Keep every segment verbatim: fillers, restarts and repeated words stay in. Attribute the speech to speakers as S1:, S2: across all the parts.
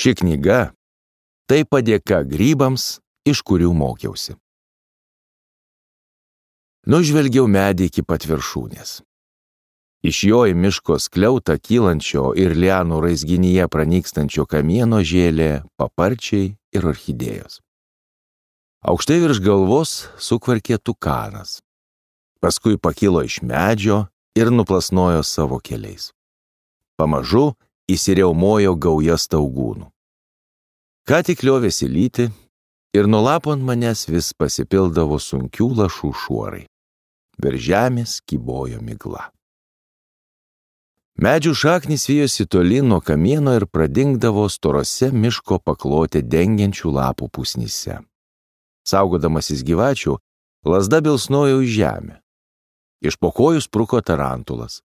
S1: Ši knyga – tai padėka grybams, iš kurių mokiausi. Nužvelgiau medį iki pat viršūnės. Iš jo į miško skliautą kylančio ir lianų raizginyje pranykstančio kamieno žėlė paparčiai ir orchidėjos. Aukštai virš galvos sukvarkė tukanas. Paskui pakilo iš medžio ir nuplasnojo savo keliais. Pamažu įsiriaumojo gauja staugūnų. Ką tik liovėsi lyti ir nuo lapo ant manęs vis pasipildavo sunkių lašų šuorai. Virš žemės kybojo migla. Medžių šaknys vijosi tolyn nuo kamieno ir pradingdavo storose miško paklotę dengiančių lapų pusnyse. Saugodamasis gyvačių, lazda bilsnojo į žemę. Iš po kojų spruko tarantulas.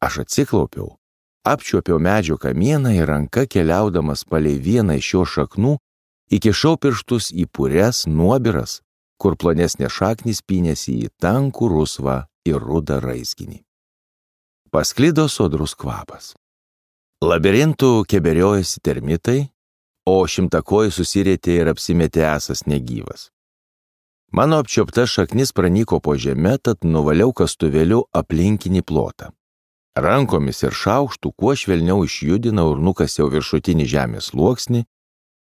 S1: Aš atsiklaupiau, apčiuopiau medžio kamieną ir ranka keliaudamas palei vieną iš jo šaknų, įkišau pirštus į purias nuobiras, kur plonesnė šaknis pynėsi į tankų rusvą ir rudą raizginį. Pasklido sodrus kvapas. Labirintų keberiojasi termitai, o šimtakojai susirietė ir apsimetė esas negyvas. Mano apčiopta šaknis pranyko po žemę, tad nuvaliau kastuvėliu aplinkinį plotą. Rankomis ir šaukštų kuo švelniau išjudinau ir nukasiau viršutinį žemės sluoksnį,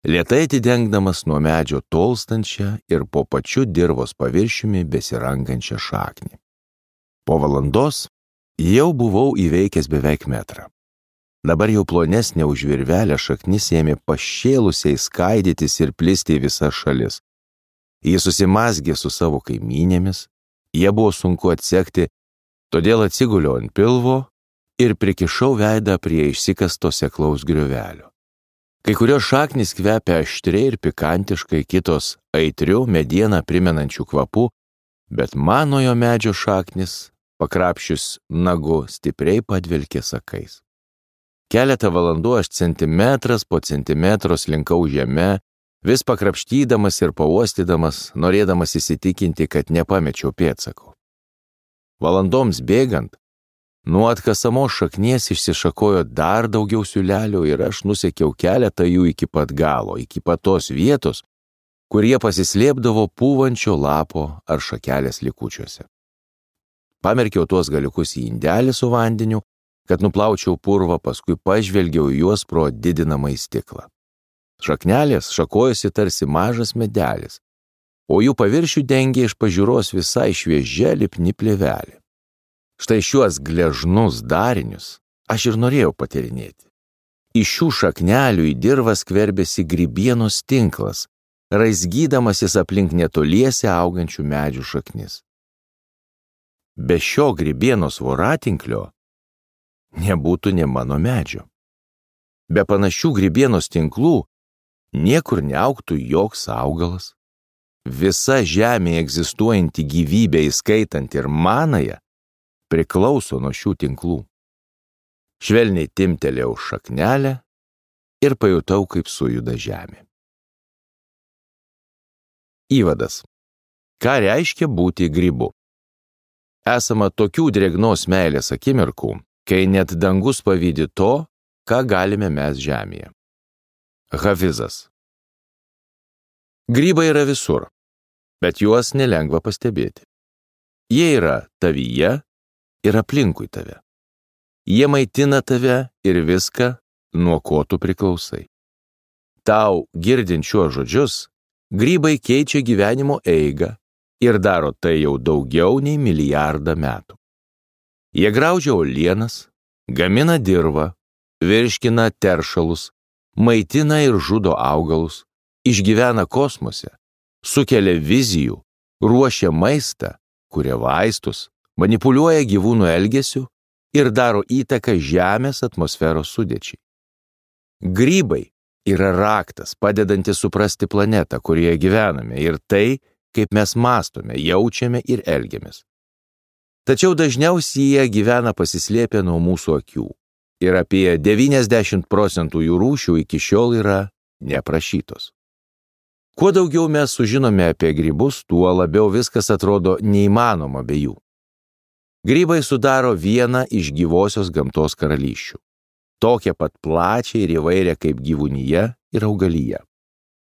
S1: lėtai atidengdamas nuo medžio tolstančią ir po pačiu dirvos paviršiumi besirangančią šaknį. Po valandos jau buvau įveikęs beveik metrą. Dabar jau plonesnė už virvelę šaknis ėmė pašėlusiai skaidytis ir plisti į visas šalis. Jis susimazgė su savo kaimynėmis, jie buvo sunku atsekti, todėl atsiguliau ant pilvo ir prikišau veidą prie išsikasto seklaus griovelio. Kai kurios šaknys kvepia aštriai ir pikantiškai, kitos aitriu medieną primenančių kvapų, bet manojo medžio šaknis, pakrapšius nagu, stipriai padvelkė sakais. Keletą valandų aš centimetras po centimetro slinkau žeme, vis pakrapštydamas ir pauostydamas, norėdamas įsitikinti, kad nepamečiau pėdsakų. Valandoms bėgant, nuo atkasamos šaknies išsišakojo dar daugiau siūlelių ir aš nusekiau keletą jų iki pat galo, iki pat tos vietos, kur jie pasislėpdavo pūvančio lapo ar šakelės likučiuose. Pamerkiau tuos galiukus į indelį su vandeniu, kad nuplaučiau purvą, paskui pažvelgiau juos pro didinamąjį stiklą. Šaknelės šakojosi tarsi mažas medelis, o jų paviršių dengė iš pažiūros visai šviežia lipni plėvelė. Štai šiuos gležnus darinius aš ir norėjau patyrinėti. Iš šių šaknelių į dirvą skverbėsi grybienos tinklas, raizgydamasis aplink netoliese augančių medžių šaknis. Be šio grybienos voratinklio nebūtų ne mano medžio. Be panašių grybienos tinklų niekur neaugtų joks augalas. Visa žemėje egzistuojanti gyvybė, įskaitant ir manąją, priklauso nuo šių tinklų. Švelniai timtelėjau šaknelę ir pajutau, kaip sujuda žemė. Įvadas. Ką reiškia būti grybu? Esama tokių drėgnos meilės akimirkų, kai net dangus pavydi to, ką galime mes žemėje. Hafizas. Grybai yra visur, bet juos nelengva pastebėti. Jie yra tavyje ir aplinkui tave. Jie maitina tave ir viską, nuo ko tu priklausai. Tau, girdint šiuos žodžius, grybai keičia gyvenimo eigą ir daro tai jau daugiau nei milijardą metų. Jie graužia uolienas, gamina dirvą, virškina teršalus, maitina ir žudo augalus, išgyvena kosmose, sukelia vizijų, ruošia maistą, kuria vaistus, manipuliuoja gyvūnų elgesiu ir daro įtaką Žemės atmosferos sudėčiai. Grybai yra raktas, padedantis suprasti planetą, kurioje gyvename, ir tai, kaip mes mąstome, jaučiame ir elgiamės. Tačiau dažniausiai jie gyvena pasislėpę nuo mūsų akių. Ir apie devyniasdešimt procentų jų rūšių iki šiol yra neprašytos. Kuo daugiau mes sužinome apie grybus, tuo labiau viskas atrodo neįmanoma be jų. Grybai sudaro vieną iš gyvosios gamtos karalysčių. Tokią pat plačią ir įvairią kaip gyvūnyje ir augalija.